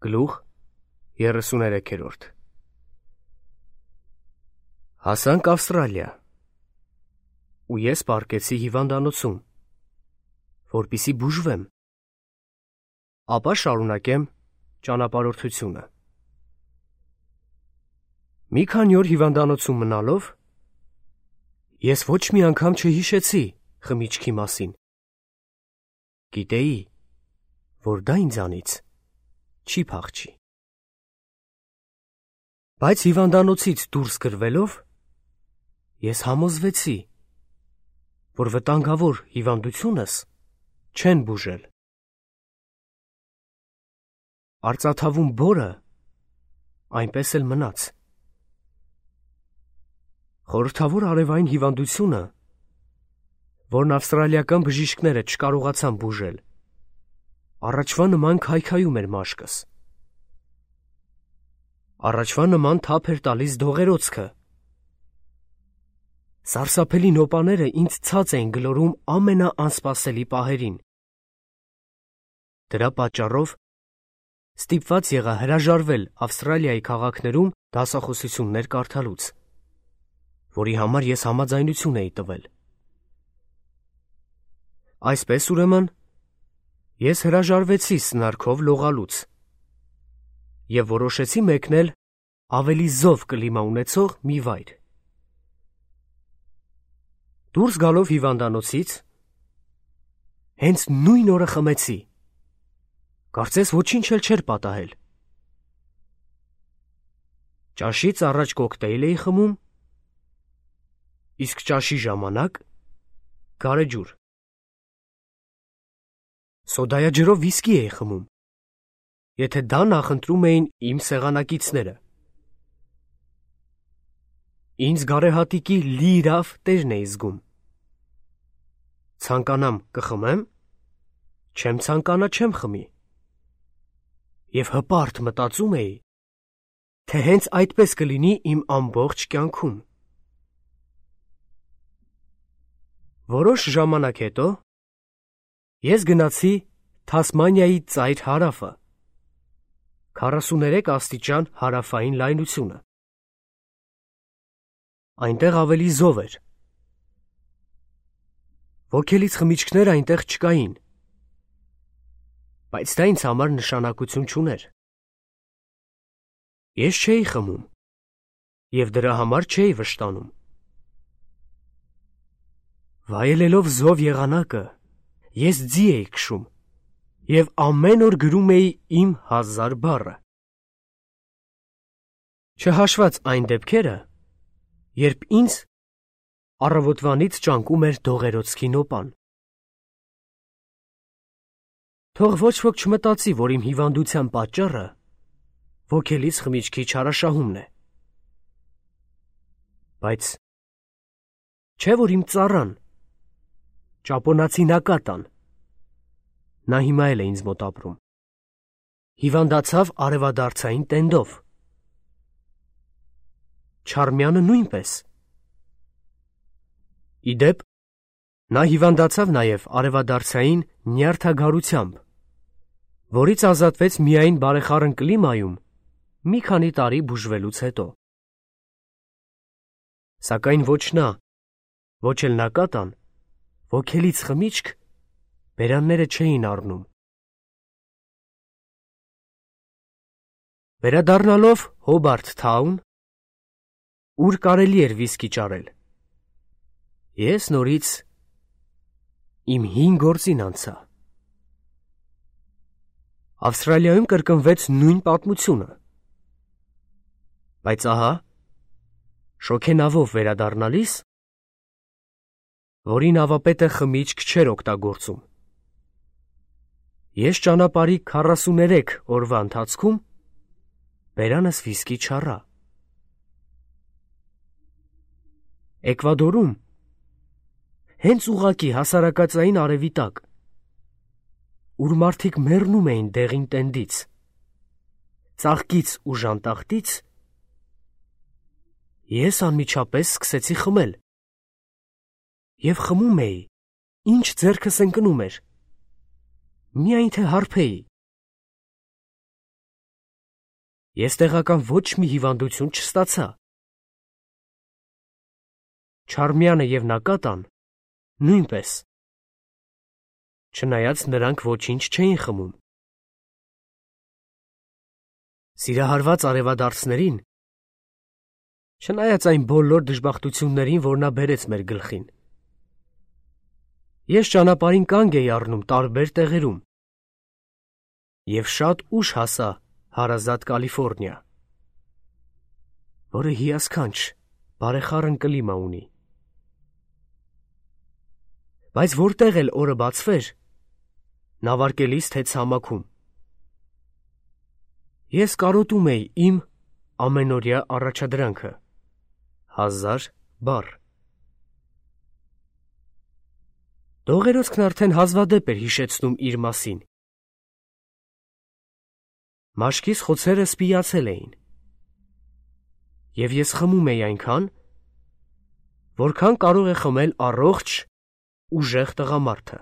Գլուխ 33 Հասանք Ավստրալիա, ու ես պառկեցի հիվանդանոցում, որպեսզի բուժվեմ, ապա շարունակեմ ճանապարհորդությունը։ Մի քանի օր հիվանդանոցում մնալով, ես ոչ մի անգամ չհիշեցի խմիչքի մասին։ Գիտեի, որ դա ինձանից չի փախչի։ Բայց հիվանդանոցից դուրս գրվելով, ես համոզվեցի, որ վտանգավոր հիվանդությունս չեն բուժել։ Արծաթավուն բորը այնպես էլ մնաց։ Խորհրդավոր արևային հիվանդությունը, որն ավստրալիական բժիշկները չկարողացան բուժել, առաջվա նման քայքայում էր մաշկս։ Առաջվա նման թափ էր տալիս դողերոցքը։ Սարսափելի նոպաները ինձ ցած էին գլորում ամենաանսպասելի պահերին։ Դրա պատճառով ստիպված եղա հրաժարվել Ավստրալիայի քաղաքներում դասախոսություններ կարդալուց, որի համար ես համաձայնություն էի տվել։ Այսպես ուրեմն, ես հրաժարվեցի սնարքով լողալուց և որոշեցի մեկնել ավելի զով կլիմա ունեցող մի վայր։ Դուրս գալով հիվանդանոցից, հենց նույն օրը խմեցի, կարծես ոչինչ էլ չէր պատահել։ Ճաշից առաջ կոկտեյլ էի խմում, իսկ ճաշի ժամանակ գարեջուր։ Սոդայաջրով վիսկի էի խմում, եթե դա նախընտրում էին իմ սեղանակիցները։ Ինձ գարեհատիկի լիիրավ տերն էի զգում։ Ցանկանամ կխմեմ, չեմ ցանկանա չեմ խմի։ Եվ հպարտ մտածում էի, թե հենց այդպես կլինի իմ ամբողջ կյանքում։ Որոշ ժամանակ հետո ես գնացի Թասմանիայի ծայր հարավը, 43 աստիճան հարավային լայնությունը։ Այնտեղ ավելի զով էր։ Ոգելից խմիչքներ այնտեղ չկային, բայց դա ինձ համար նշանակություն չուներ։ Ես չէի խմում և դրա համար չէի վշտանում։ Վայելելով զով եղանակը, ես ձի էի քշում և ամեն օր գրում էի իմ 1000 բառը։ Չհաշված այն դեպքերը, երբ ինձ առավոտվանից ճանկում էր դողերոցքի նոպան։ Թող ոչ ոք չմտածի, որ իմ հիվանդության պատճառը ոգելից խմիչքի չարաշահումն է։ Բայց չէ՞ որ իմ ծառան, ճապոնացի Նակատան, նա հիմա էլ է ինձ մոտ ապրում, հիվանդացավ արևադարձային տենդով։ Չարմյանը նույնպես։ Ի դեպ, նա հիվանդացավ նաև արևադարձային նյարդագարությամբ, որից ազատվեց միայն բարեխառն կլիմայում մի քանի տարի բուժվելուց հետո։ Սակայն ոչ նա, ոչ էլ Նակատան ոգելից խմիչք բերանները չէին առնում։ Վերադառնալով Հոբարթ Թաուն, ուր կարելի էր վիսկի ճարել, ես նորից իմ հին գործին անցա։ Ավստրալիայում կրկնվեց նույն պատմությունը։ Բայց ահա, շոգենավով վերադառնալիս, որին ավապետը խմիչք չէր օգտագործում, ես ճանապարհի 43 օրվա ընթացքում բերանս վիսկի չառա։ Էկվադորում, հենց ուղղակի հասարակածային արևի տակ, ուր մարդիկ մեռնում էին դեղին տենդից, ծաղկից ու ժանտախտից, ես անմիջապես սկսեցի խմել։ Եվ խմում էի, ինչ ձեռքս ընկնում էր, միայն թե հարբեի։ Ես տեղական ոչ մի հիվանդություն չստացա։ Չարմյանը և Նակատան նույնպես, չնայած նրանք ոչինչ չէին խմում։ Սիրահարված արևադարձներին, չնայած այն բոլոր դժբախտություններին, որ նա բերեց մեր գլխին, ես ճանապարհին կանգ էի առնում տարբեր տեղերում և շատ ուշ հասա հարազատ Կալիֆոռնիա, որը հիասքանչ, բարեխառն կլիմա ունի։ Բայց որտեղ էլ օրը բացվեր, նավարկելիս թե ցամաքում, ես կարոտում էի իմ ամենօրյա առաջադրանքը՝ 1000 բառ։ Դողերոցքն արդեն հազվադեպ էր հիշեցնում իր մասին։ Մաշկիս խոցերը սպիացել էին, և ես խմում էի այնքան, որքան կարող է խմել առողջ, ուժեղ տղամարդը։